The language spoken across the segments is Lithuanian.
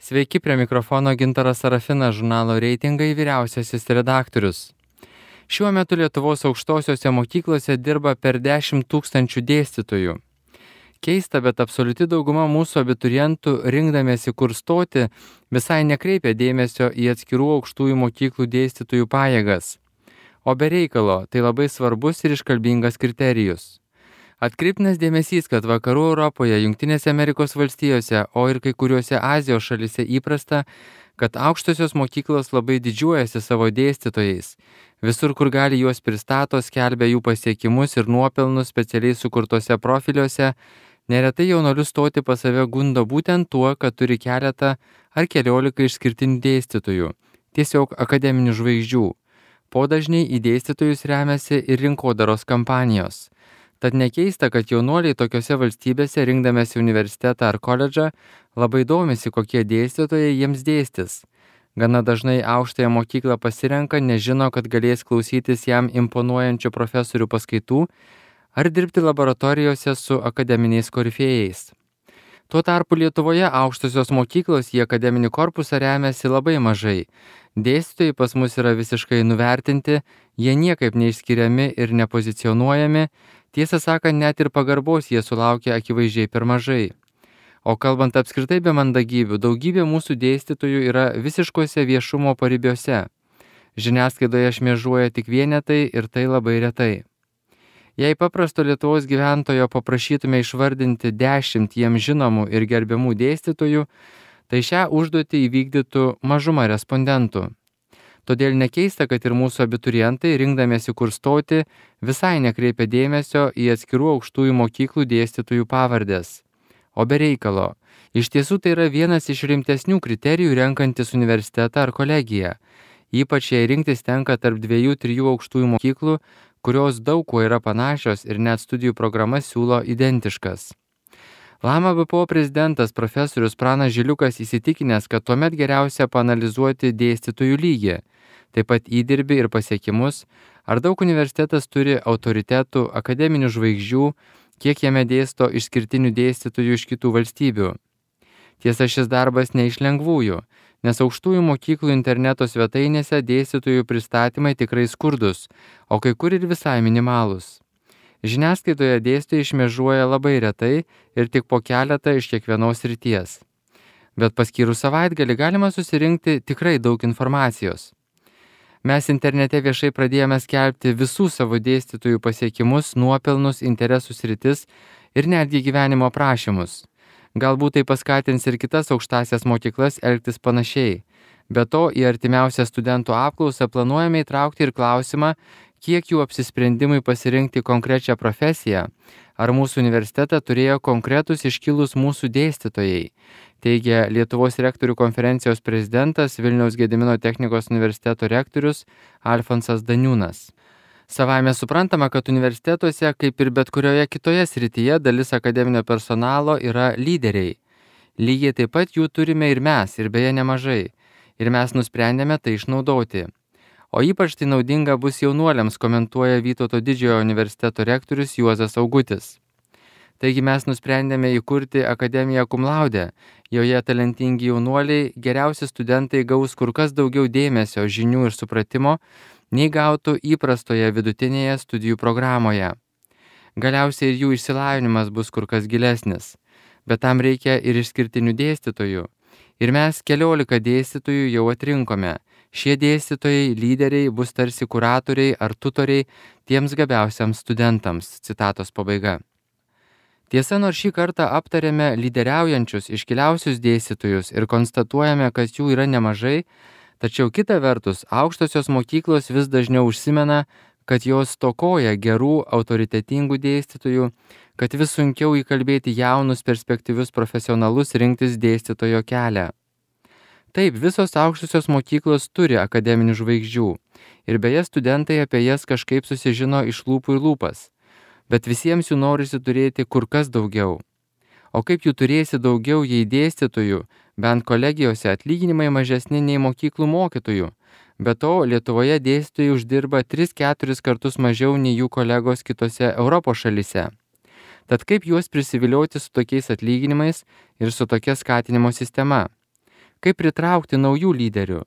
Sveiki, prie mikrofono Gintaras Sarafinas, žurnalo Reitingai vyriausiasis redaktorius. Šiuo metu Lietuvos aukštosiose mokyklose dirba per 10 000 dėstytojų. Keista, bet absoliuti dauguma mūsų abiturientų, rinkdamiesi kur stoti, visai nekreipia dėmesio į atskirų aukštųjų mokyklų dėstytojų pajėgas. O be reikalo, tai labai svarbus ir iškalbingas kriterijus. Atkreiptinas dėmesys, kad vakarų Europoje, Jungtinėse Amerikos valstijose, o ir kai kuriuose Azijos šalyse įprasta, kad aukštosios mokyklos labai didžiuojasi savo dėstytojais. Visur, kur gali, juos pristato, skelbia jų pasiekimus ir nuopelnus specialiai sukurtose profiliuose. Neretai jaunuolius stoti pas save gundo būtent tuo, kad turi keletą ar keliolika išskirtinių dėstytojų, tiesiog akademinių žvaigždžių. Podažniai į dėstytojus remiasi ir rinkodaros kampanijos. Tad nekeista, kad jaunuoliai tokiose valstybėse, rinkdamėsi universitetą ar koledžą, labai domisi, kokie dėstytojai jiems dėstys. Gana dažnai aukštąją mokyklą pasirenka, nežino, kad galės klausytis jam imponuojančių profesorių paskaitų ar dirbti laboratorijose su akademiniais korifėjais. Tuo tarpu Lietuvoje aukštosios mokyklos į akademinį korpusą remiasi labai mažai. Dėstytojai pas mus yra visiškai nuvertinti, jie niekaip neišskiriami ir nepozicionuojami, tiesą sakant, net ir pagarbos jie sulaukia akivaizdžiai per mažai. O kalbant apskritai be mandagybių, daugybė mūsų dėstytojų yra visiškose viešumo paribiuose. Žiniasklaidoje šmėžuoja tik vienetai ir tai labai retai. Jei paprasto Lietuvos gyventojo paprašytume išvardinti 10 jiems žinomų ir gerbiamų dėstytojų, tai šią užduotį įvykdytų mažuma respondentų. Todėl nekeista, kad ir mūsų abiturientai, rinkdamiesi kur stoti, visai nekreipia dėmesio į atskirų aukštųjų mokyklų dėstytojų pavardės. O be reikalo. Iš tiesų tai yra vienas iš rimtesnių kriterijų renkantis universitetą ar kolegiją. Ypač jei rinktis tenka tarp 2-3 aukštųjų mokyklų, kurios daug kuo yra panašios ir net studijų programas siūlo identiškas. Lama BPO prezidentas profesorius Pranas Žiliukas įsitikinęs, kad tuomet geriausia paanalizuoti dėstytojų lygį, taip pat įdirbį ir pasiekimus, ar daug universitetas turi autoritetų, akademinių žvaigždžių, kiek jame dėsto išskirtinių dėstytojų iš kitų valstybių. Tiesa, šis darbas ne iš lengvųjų, nes aukštųjų mokyklų interneto svetainėse dėstytojų pristatymai tikrai skurdus, o kai kur ir visai minimalūs. Žiniasklaidoje dėstytojai šmėžuoja labai retai ir tik po keletą iš kiekvienos srities. Bet paskyrus savaitgalį galima susirinkti tikrai daug informacijos. Mes internete viešai pradėjome skelbti visų savo dėstytojų pasiekimus, nuopelnus, interesų sritis ir netgi gyvenimo aprašymus. Galbūt tai paskatins ir kitas aukštąsias mokyklas elgtis panašiai. Be to, į artimiausią studentų apklausą planuojame įtraukti ir klausimą, kiek jų apsisprendimui pasirinkti konkrečią profesiją, ar mūsų universitetą turėjo konkretus iškilus mūsų dėstytojai, teigia Lietuvos rektorių konferencijos prezidentas Vilniaus Gedimino technikos universiteto rektorius Alfonsas Daniūnas. Savaime suprantama, kad universitetuose, kaip ir bet kurioje kitoje srityje, dalis akademinio personalo yra lyderiai. Lygiai taip pat jų turime ir mes, ir beje nemažai. Ir mes nusprendėme tai išnaudoti. O ypač tai naudinga bus jaunuoliams, komentuoja Vytauto Didžiojo universiteto rektorius Juozas Augutis. Taigi mes nusprendėme įkurti Akademiją Cum Laude. Joje talentingi jaunuoliai, geriausi studentai gaus kur kas daugiau dėmesio, žinių ir supratimo, nei gautų įprastoje vidutinėje studijų programoje. Galiausiai ir jų išsilavinimas bus kur kas gilesnis, bet tam reikia ir išskirtinių dėstytojų. Ir mes 14 dėstytojų jau atrinkome. Šie dėstytojai, lyderiai bus tarsi kuratoriai ar tutoriai tiems gabiausiams studentams. Citatos pabaiga. Tiesa, nors šį kartą aptarėme lyderiaujančius, iškiliausius dėstytojus ir konstatuojame, kad jų yra nemažai, tačiau kita vertus, aukštosios mokyklos vis dažniau užsimena, kad jos stokoja gerų, autoritetingų dėstytojų, kad vis sunkiau įkalbėti jaunus perspektyvius profesionalus rinktis dėstytojo kelią. Taip, visos aukštosios mokyklos turi akademinių žvaigždžių ir beje studentai apie jas kažkaip susižino iš lūpų į lūpas, bet visiems jų norisi turėti kur kas daugiau. O kaip jų turėsi daugiau, jei dėstytojų, bent kolegijose atlyginimai mažesni nei mokyklų mokytojų. Be to, Lietuvoje dėstytojai uždirba 3-4 kartus mažiau nei jų kolegos kitose Europos šalyse. Tad kaip juos prisivilioti su tokiais atlyginimais ir su tokia skatinimo sistema? Kaip pritraukti naujų lyderių?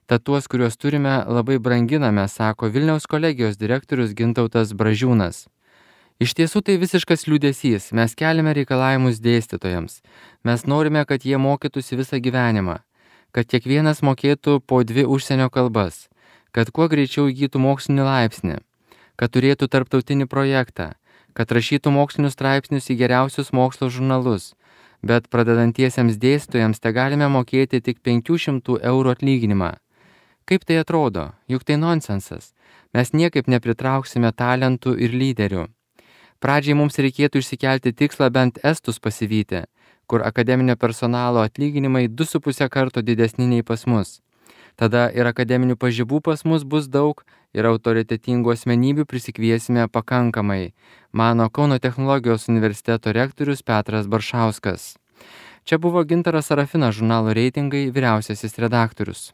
Tad tuos, kuriuos turime, labai branginame, sako Vilniaus kolegijos direktorius Gintautas Bražiūnas. Iš tiesų tai visiškas liūdesys. Mes keliame reikalavimus dėstytojams. Mes norime, kad jie mokytųsi visą gyvenimą, kad kiekvienas mokėtų po 2 užsienio kalbas, kad kuo greičiau įgytų mokslinį laipsnį, kad turėtų tarptautinį projektą, kad rašytų mokslinius straipsnius į geriausius mokslo žurnalus, bet pradedantiesiems dėstytojams te galime mokėti tik 500 eurų atlyginimą. Kaip tai atrodo? Juk tai nonsensas. Mes niekaip nepritrauksime talentų ir lyderių. Pradžiai mums reikėtų išsikelti tikslą bent estus pasivyti, kur akademinio personalo atlyginimai 2,5 karto didesni nei pas mus. Tada ir akademinių pažybų pas mus bus daug ir autoritetingų asmenybių prisikviesime pakankamai, mano Kauno technologijos universiteto rektorius Petras Baršauskas. Čia buvo Gintaras Sarafinas, žurnalo Reitingai vyriausiasis redaktorius.